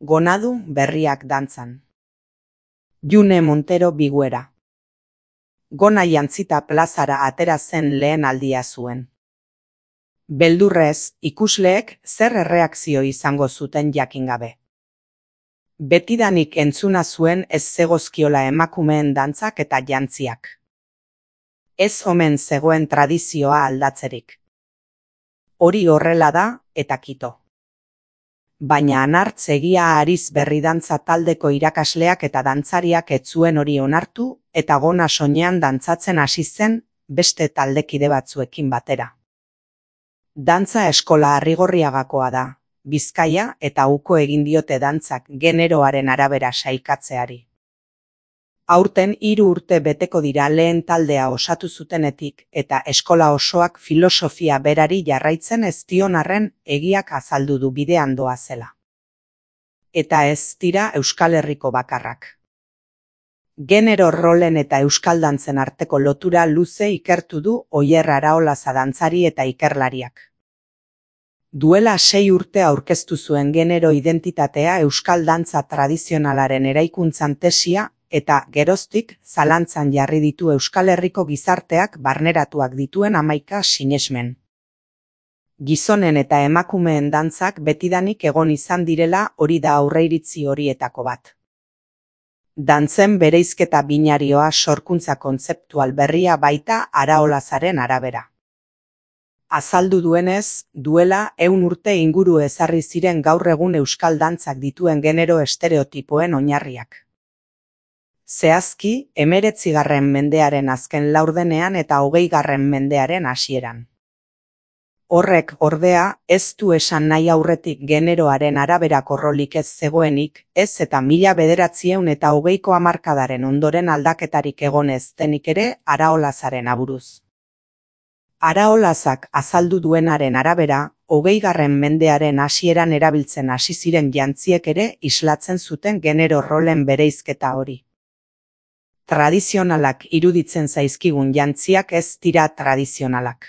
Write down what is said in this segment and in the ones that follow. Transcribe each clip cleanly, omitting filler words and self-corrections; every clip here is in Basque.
Gonadu berriak dantzan. June Montero Biguera. Gona jantzita plazara atera zen lehen aldia zuen. Beldurrez, ikusleek zer erreakzio izango zuten jakin gabe. Betidanik entzuna zuen ez zegozkiola emakumeen dantzak eta jantziak. Ez omen zegoen tradizioa aldatzerik. Hori horrela da, eta kito. Baina Anartz egia ariz berri dantza taldeko irakasleak eta dantzariak ez zuen hori onartu eta Gona soinean dantzatzen hasi zen beste taldekide batzuekin batera. Dantza eskola Arrigorriagakoa da, Bizkaia eta uko egin diote dantzak generoaren arabera sailkatzeari. Aurten 3 urte beteko dira lehen taldea osatu zutenetik eta eskola osoak filosofia berari jarraitzen ez dion arren egiak azaldu du bidean doazela. Eta ez dira Euskal Herriko bakarrak. Genero rolen eta euskal dantzen arteko lotura luze ikertu du Oier Araolaza dantzari eta ikerlariak. Duela 6 urte aurkeztu zuen genero identitatea euskal dantza tradizionalaren eraikuntzan tesia eta geroztik zalantzan jarri ditu Euskal Herriko gizarteak barneratuak dituen 11 sinesmen. Gizonen eta emakumeen dantzak betidanik egon izan direla hori da aurreiritzi horietako bat. Dantzen bereizketa binarioa sorkuntza kontzeptual berria baita Araolazaren arabera. Azaldu duenez, duela 100 urte inguru ezarri ziren gaur egun euskal dantzak dituen genero estereotipoen oinarriak. Zehazki, 19. mendearen azken laurdenean eta 20. mendearen hasieran. Horrek, ordea, ez du esan nahi aurretik generoaren araberako rolik ez zegoenik, ez eta 1920ko hamarkadaren ondoren aldaketarik egon ez denik ere Araolazaren aburuz. Araolazak azaldu duenaren arabera, 20. mendearen hasieran erabiltzen hasi ziren jantziek ere islatzen zuten genero rolen bereizketa hori. Tradizionalak iruditzen zaizkigun jantziak ez dira tradizionalak.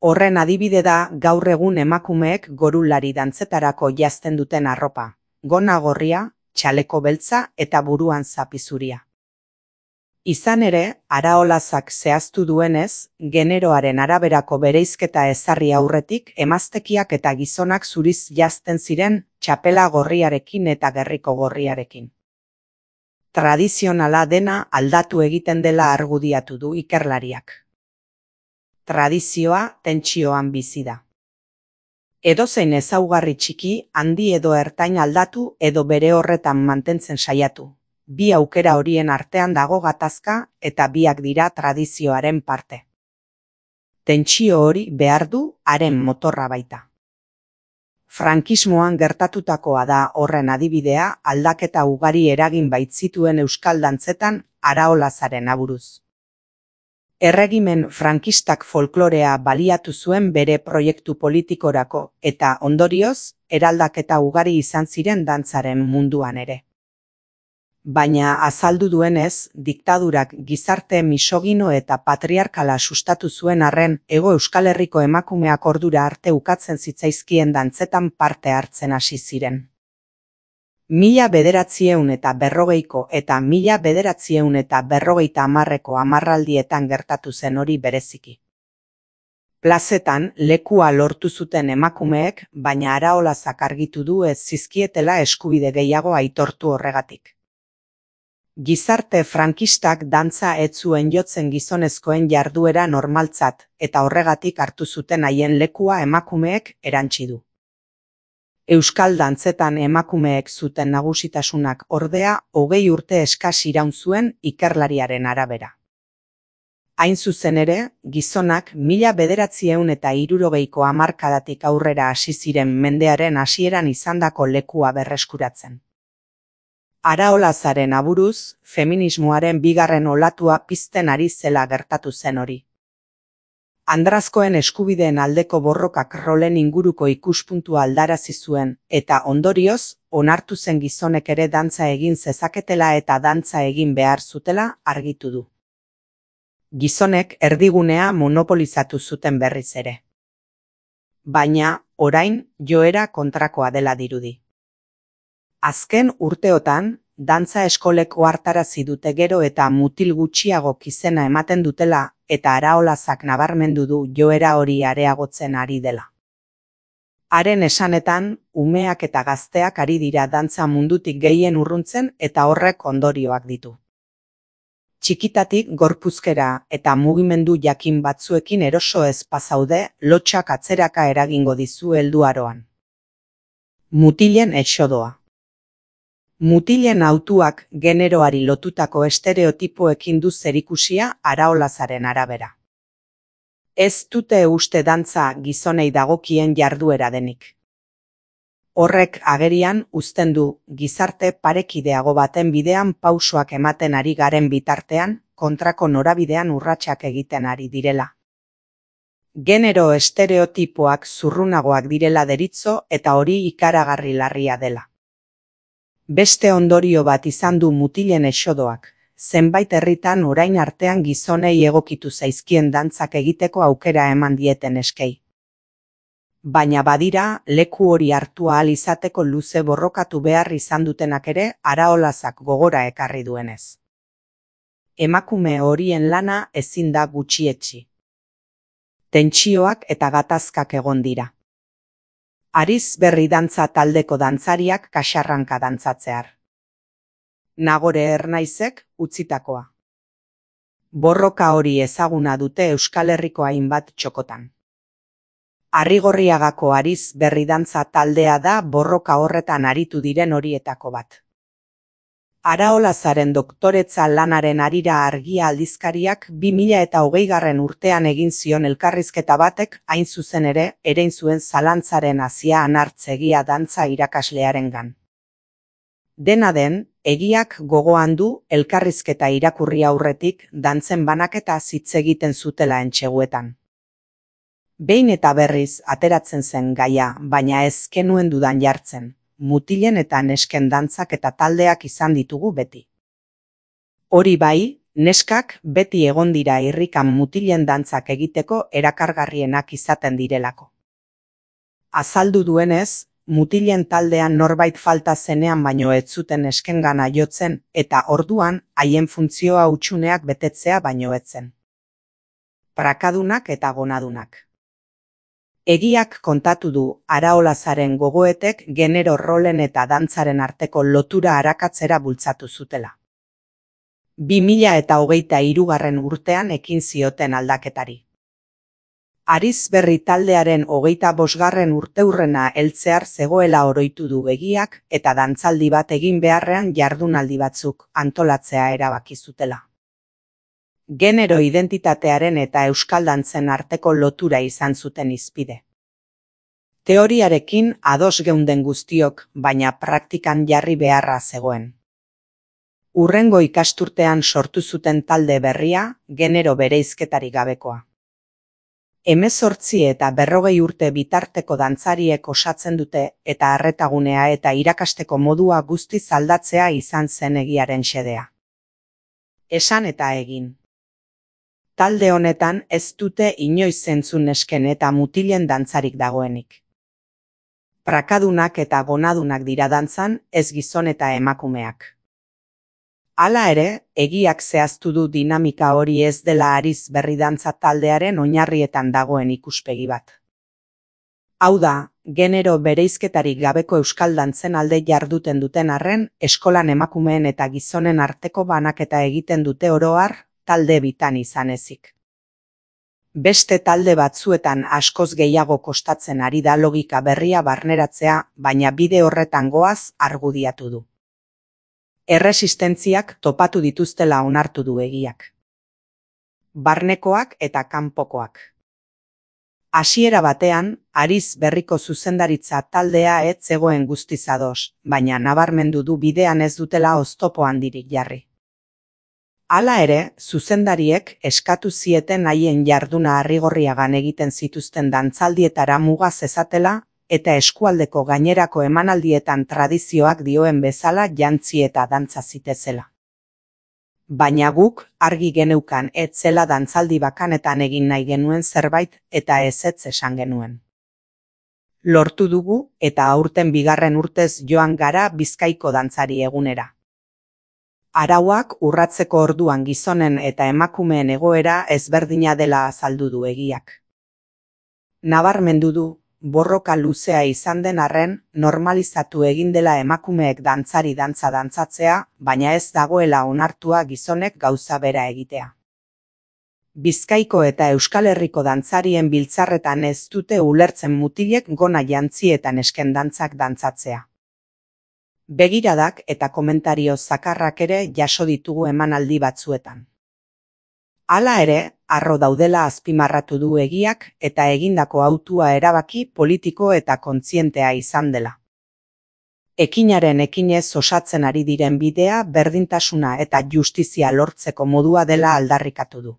Horren adibide da gaur egun emakumeek gorulari dantzetarako janzten duten arropa, gona gorria, txaleko beltza eta buruan zapi zuria. Izan ere, Araolazak zehaztu duenez, generoaren araberako bereizketa ezarri aurretik emaztekiak eta gizonak zuriz janzten ziren txapela gorriarekin eta gerriko gorriarekin. Tradizionala dena aldatu egiten dela argudiatu du ikerlariak. Tradizioa tentsioan bizi da. Edozein ezaugarri txiki, handi edo ertain aldatu edo bere horretan mantentzen saiatu. Bi aukera horien artean dago gatazka eta biak dira tradizioaren parte. Tentsio hori behar du haren motorra baita. Frankismoan gertatutakoa da horren adibidea aldaketa ugari eragin baitzituen euskal dantzetan Araolazaren aburuz. Erregimen frankistak folklorea baliatu zuen bere proiektu politikorako eta ondorioz eraldaketa ugari izan ziren dantzaren munduan ere. Baina azaldu duenez, diktadurak gizarte misogino eta patriarkala sustatu zuen arren Hego Euskal Herriko emakumeak ordura arte ukatzen zitzaizkien dantzetan parte hartzen hasi ziren. 1940ko eta 1950ko hamarraldietan gertatu zen hori bereziki. Plazetan lekua lortu zuten emakumeek, baina Araolazak argitu du ez zizkietela eskubide gehiago aitortu horregatik. Gizarte frankistak dantza ez zuen jotzen gizonezkoen jarduera normaltzat eta horregatik hartu zuten haien lekua emakumeek erantsi du. Euskal dantzetan emakumeek zuten nagusitasunak ordea 20 urte eskas iraun zuen ikerlariaren arabera. Hain zuzen ere, gizonak 1960ko hamarkadatik aurrera hasi ziren mendearen hasieran izandako lekua berreskuratzen. Araolazaren aburuz, feminismoaren bigarren olatua pizten ari zela gertatu zen hori. Andrazkoen eskubideen aldeko borrokak rolen inguruko ikuspuntua aldarazi zuen eta ondorioz, onartu zen gizonek ere dantza egin zezaketela eta dantza egin behar zutela argitu du. Gizonek erdigunea monopolizatu zuten berriz ere. Baina, orain, joera kontrakoa dela dirudi. Azken urteotan, dantza eskolek ohartarazi dute gero eta mutil gutxiagok izena ematen dutela eta Araolazak nabarmendu du joera hori areagotzen ari dela. Haren esanetan, umeak eta gazteak ari dira dantza mundutik gehien urruntzen eta horrek ondorioak ditu. Txikitatik gorpuzkera eta mugimendu jakin batzuekin eroso ez bazaude, lotsak atzeraka eragingo dizu helduaroan. Mutilen exodoa. Mutilen hautuak generoari lotutako estereotipoekin du zerikusia Araolazaren arabera. Ez dute uste dantza gizonei dagokien jarduera denik. Horrek agerian uzten du gizarte parekideago baten bidean pausoak ematen ari garen bitartean, kontrako norabidean urratsak egiten ari direla. Genero estereotipoak zurrunagoak direla deritzo eta hori ikaragarri larria dela. Beste ondorio bat izan du mutilen exodoak, zenbait herritan orain artean gizonei egokitu zaizkien dantzak egiteko aukera eman dieten eskei. Baina badira, leku hori hartu ahal izateko luze borrokatu behar izan dutenak ere Araolazak gogora ekarri duenez. Emakume horien lana ezin da gutxietsi. Tentsioak eta gatazkak egon dira. Ariz berri dantza taldeko dantzariak kaxarranka dantzatzear. Nagore Ernaizek utzitakoa. Borroka hori ezaguna dute Euskal Herriko hainbat txokotan. Arrigorriagako Ariz berri dantza taldea da borroka horretan aritu diren horietako bat. Araolazaren doktoretza lanaren harira Argia aldizkariak 2020 urtean egin zion elkarrizketa batek hain zuzen ere erein zuen zalantzaren hazia anartzegia dantza irakaslearengan. Dena den, egiak gogoan du elkarrizketa irakurri aurretik dantzen banaketa hitz egiten zutela entseguetan. Behin eta berriz ateratzen zen gaia, baina ez kenuen dudan jartzen, mutilen eta nesken dantzak eta taldeak izan ditugu beti. Hori bai, neskak beti egon dira irrikan mutilen dantzak egiteko erakargarrienak izaten direlako. Azaldu duenez, mutilen taldean norbait falta zenean baino ez zuten neskengana jotzen eta orduan haien funtzioa hutsuneak betetzea baino ez zen. Prakadunak eta gonadunak. Egiak kontatu du Araolazaren gogoetek genero rolen eta dantzaren arteko lotura arakatzera bultzatu zutela. 2023 urtean ekin zioten aldaketari. Ariz berri taldearen 25. urteurrena heltzear zegoela oroitu du egiak eta dantzaldi bat egin beharrean jardunaldi batzuk antolatzea erabaki zutela. Genero identitatearen eta euskal dantzen arteko lotura izan zuten hizpide. Teoriarekin ados geunden guztiok, baina praktikan jarri beharra zegoen. Hurrengo ikasturtean sortu zuten talde berria, genero bereizketarik gabekoa. 18 eta 40 urte bitarteko dantzariek osatzen dute eta arretagunea eta irakasteko modua guztiz aldatzea izan zen egiaren xedea. Esan eta egin. Talde honetan ez dute inoiz entzun nesken eta mutilen dantzarik dagoenik. Prakadunak eta gonadunak dira dantzan, ez gizon eta emakumeak. Hala ere, egiak zehaztu du dinamika hori ez dela Ariz berri dantza taldearen oinarrietan dagoen ikuspegi bat. Hau da, genero bereizketarik gabeko euskal dantzen alde jarduten duten arren, eskolan emakumeen eta gizonen arteko banaketa egiten dute oro har, talde bitan izan ezik. Beste talde batzuetan askoz gehiago kostatzen ari da logika berria barneratzea, baina bide horretan goaz argudiatu du. Erresistentziak topatu dituztela onartu du egiak. Barnekoak eta kanpokoak. Hasiera batean, Ariz berriko zuzendaritza taldea ez zegoen guztiz ados, baina nabarmendu du bidean ez dutela oztopo handirik jarri. Hala ere, zuzendariek eskatu zieten haien jarduna Arrigorriagan egiten zituzten dantzaldietara muga zezatela eta eskualdeko gainerako emanaldietan tradizioak dioen bezala jantzi eta dantza zitezela. Baina guk argi geneukan ez zela dantzaldi bakanetan egin nahi genuen zerbait eta ezetz esan genuen. Lortu dugu eta aurten bigarren urtez joan gara Bizkaiko dantzari egunera. Arauak urratzeko orduan gizonen eta emakumeen egoera ezberdina dela azaldu du egiak. Nabarmendu du, borroka luzea izan den arren, normalizatu egin dela emakumeek dantzari dantza dantzatzea, baina ez dagoela onartua gizonek gauza bera egitea. Bizkaiko eta Euskal Herriko dantzarien biltzarretan ez dute ulertzen mutilek gona jantzi eta nesken dantzak dantzatzea. Begiradak eta komentario zakarrak ere jaso ditugu emanaldi batzuetan. Hala ere, harro daudela azpimarratu du egiak eta egindako hautua erabaki politiko eta kontzientea izan dela. Ekinaren ekinez osatzen ari diren bidea berdintasuna eta justizia lortzeko modua dela aldarrikatu du.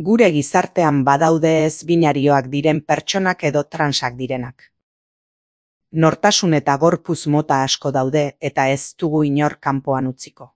Gure gizartean badaude ez binarioak diren pertsonak edo transak direnak. Nortasun eta gorputz mota asko daude eta ez dugu inor kanpoan utziko.